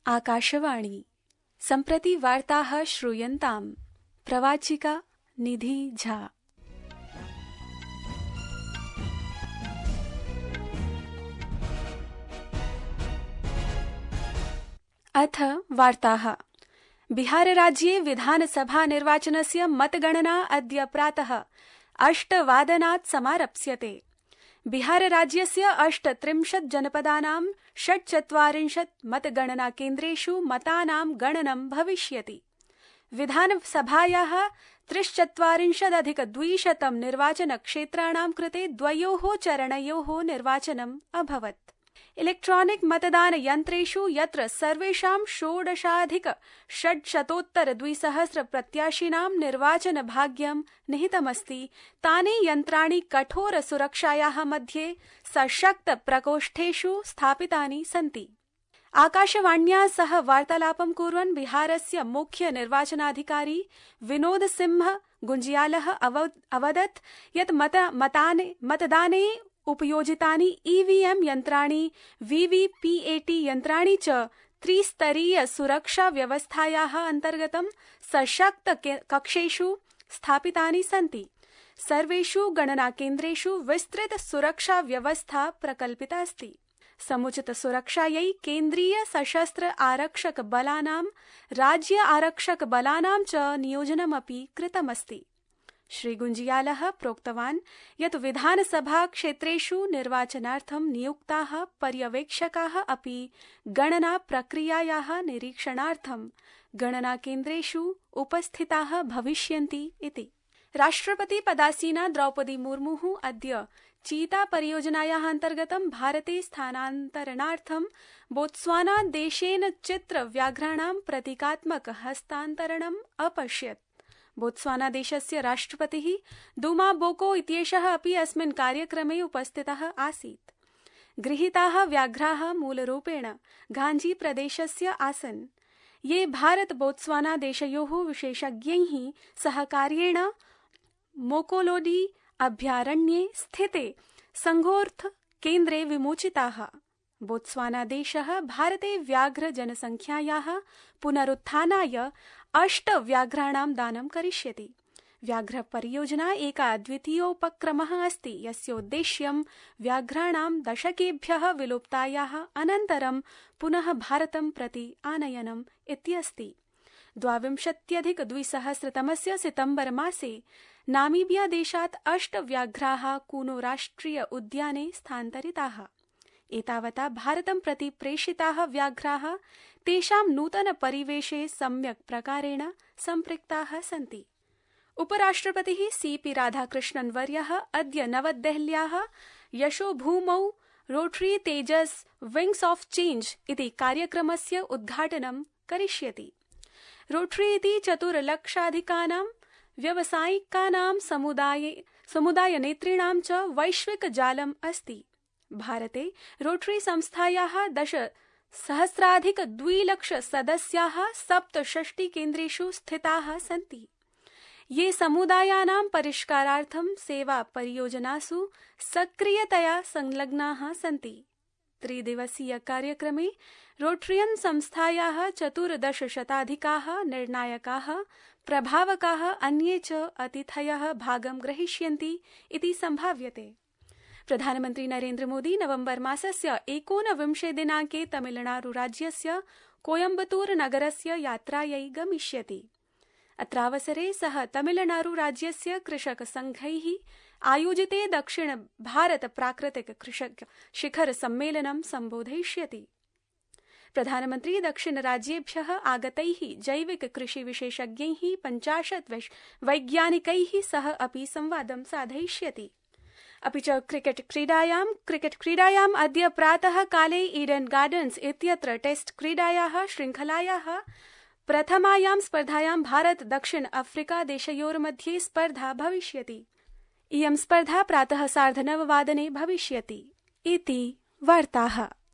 आकाशवाणी सम्प्रति वार्ताः श्रूयन्ताम्। प्रवाचिका निधि झा। अथ वार्ताः। बिहारराज्ये विधानसभा निर्वाचनस्य मतगणना अद्य प्रातः 8:00 समारप्स्यते। बिहारराज्यस्य 38 जनपदानां 46 मतगणना केन्द्रेषु मतानां गणनं भविष्यति। विधानसभायाः 43,200 निर्वाचनक्षेत्राणां कृते 2 चरणयोः निर्वाचनम् अभवत्। इलेक्ट्रॉनिक मतदानयन्त्रेषु यत्र सर्वेषां 16,600 प्रत्याशिनां निर्वाचनभाग्यं निहितमस्ति, तानि यन्त्राणि कठोर सुरक्षायाः मध्ये सशक्त प्रकोष्ठेषु स्थापितानि सन्ति। आकाशवाण्या सह वार्तालापं कुर्वन् बिहारस्य मुख्य निर्वाचनाधिकारी विनोद सिंह गुंजियालः अवदत् यत् मतदाने उपयोजितानि ईवीएम यन्त्राणि वीवीपीएटी यन्त्राणि च त्रिस्तरीय सुरक्षा व्यवस्थायाः अन्तर्गतं सशक्त कक्षेषु स्थापितानि सन्ति। सर्वेषु गणनाकेन्द्रेषु विस्तृत सुरक्षा व्यवस्था प्रकल्पिता अस्ति। समुचित सुरक्षायै केन्द्रीय सशस्त्र आरक्षक बलानां, राज्य आरक्षक बलानां च नियोजनमपि कृतमस्ति। श्री गुंजियालः प्रोक्तवान् यत् विधानसभा क्षेत्रेषु निर्वाचनार्थं नियुक्ताः पर्यवेक्षकाः अपि गणना प्रक्रियायाः निरीक्षणार्थं गणनाकेन्द्रेषु उपस्थिताः भविष्यन्ति इति। राष्ट्रपति पदासीना द्रौपदी मुर्मुः अद्य चीता परियोजनायाः अन्तर्गतं भारते स्थानान्तरणार्थं बोत्स्वाना देशेन चित्रव्याघ्राणां प्रतीकात्मक हस्तान्तरणम् अपश्यत्। बोत्स्वाना देशस्य राष्ट्रपतिः दूमा बोको इत्येषः अपि अस्मिन् कार्यक्रमे उपस्थितः आसीत्। गृहीताः व्याघ्राः मूलरूपेण घाञ्जी प्रदेशस्य आसन्, ये भारत बोत्स्वाना देशयोः विशेषज्ञैः सहकार्येण मोकोलोडी अभयारण्ये स्थिते संघोर्थ केन्द्रे विमोचिताः। बोत्स्वाना देशः भारते व्याघ्र जनसंख्यायाः पुनरुत्थानाय 8 व्याघ्राणां दानं करिष्यति। व्याघ्र परियोजना एका अद्वितीयोपक्रमः अस्ति, यस्योद्देश्यं व्याघ्राणां दशकेभ्यः विलुप्तायाः अनन्तरं पुनः भारतं प्रति आनयनम् इत्यस्ति। 2020 सितम्बर मासे नामीबिया देशात् 8 व्याघ्राः कूनो राष्ट्रिय उद्याने स्थानान्तरिताः। एतावता भारतं प्रति प्रेषिताः व्याघ्राः तेषां नूतन परिवेशे सम्यक् प्रकारेण सम्पृक्ताः सन्ति। उपराष्ट्रपतिः सीपी राधाकृष्णन् वर्यः अद्य नवदेहल्याः यशोभूमौ rotary Tejas wings of change इति कार्यक्रमस्य उद्घाटनं करिष्यति। रोटरी इति 4,00,000 व्यावसायिकानां समुदायनेतॄणां च वैश्विक जालम् अस्ति। भारते रोटरी संस्थायाः 10,000+ सदस्याः 67 केन्द्रेषु स्थिताः सन्ति, ये समुदायानां परिष्कारार्थं सेवा परियोजनासु सक्रियतया संलग्नाः सन्ति। त्रिदिवसीय कार्यक्रमे रोटरियन संस्थायाः 14 निर्णायकाः प्रभावकाः अन्ये च अतिथयः भागं ग्रहीष्यन्ति इति संभाव्यते। प्रधानमन्त्री नरेन्द्र मोदी नवम्बर मासस्य 29 दिनाङ्के तमिलनाडु राज्यस्य कोयम्बतूर नगरस्य यात्रायै गमिष्यति। अत्रावसरे सः तमिलनाडु राज्यस्य कृषक संघैः आयोजिते दक्षिण भारत प्राकृतिक कृषक शिखर सम्मेलनं सम्बोधयिष्यति। प्रधानमन्त्री दक्षिण राज्येभ्यः आगतैः जैविक कृषि विशेषज्ञैः 50 वैज्ञानिकैः सह अपि संवादं साधयिष्यति। अपि च क्रिकेट क्रीडायाम् अद्य प्रातः काले ईडन गार्डन्स इत्यत्र टेस्ट क्रीडायाः श्रृङ्खलायाः प्रथमायां स्पर्धायां भारत दक्षिण अफ्रीका देशयोर्मध्ये स्पर्धा भविष्यति। इयं स्पर्धा प्रातः 9:30 भविष्यति इति वार्ताः।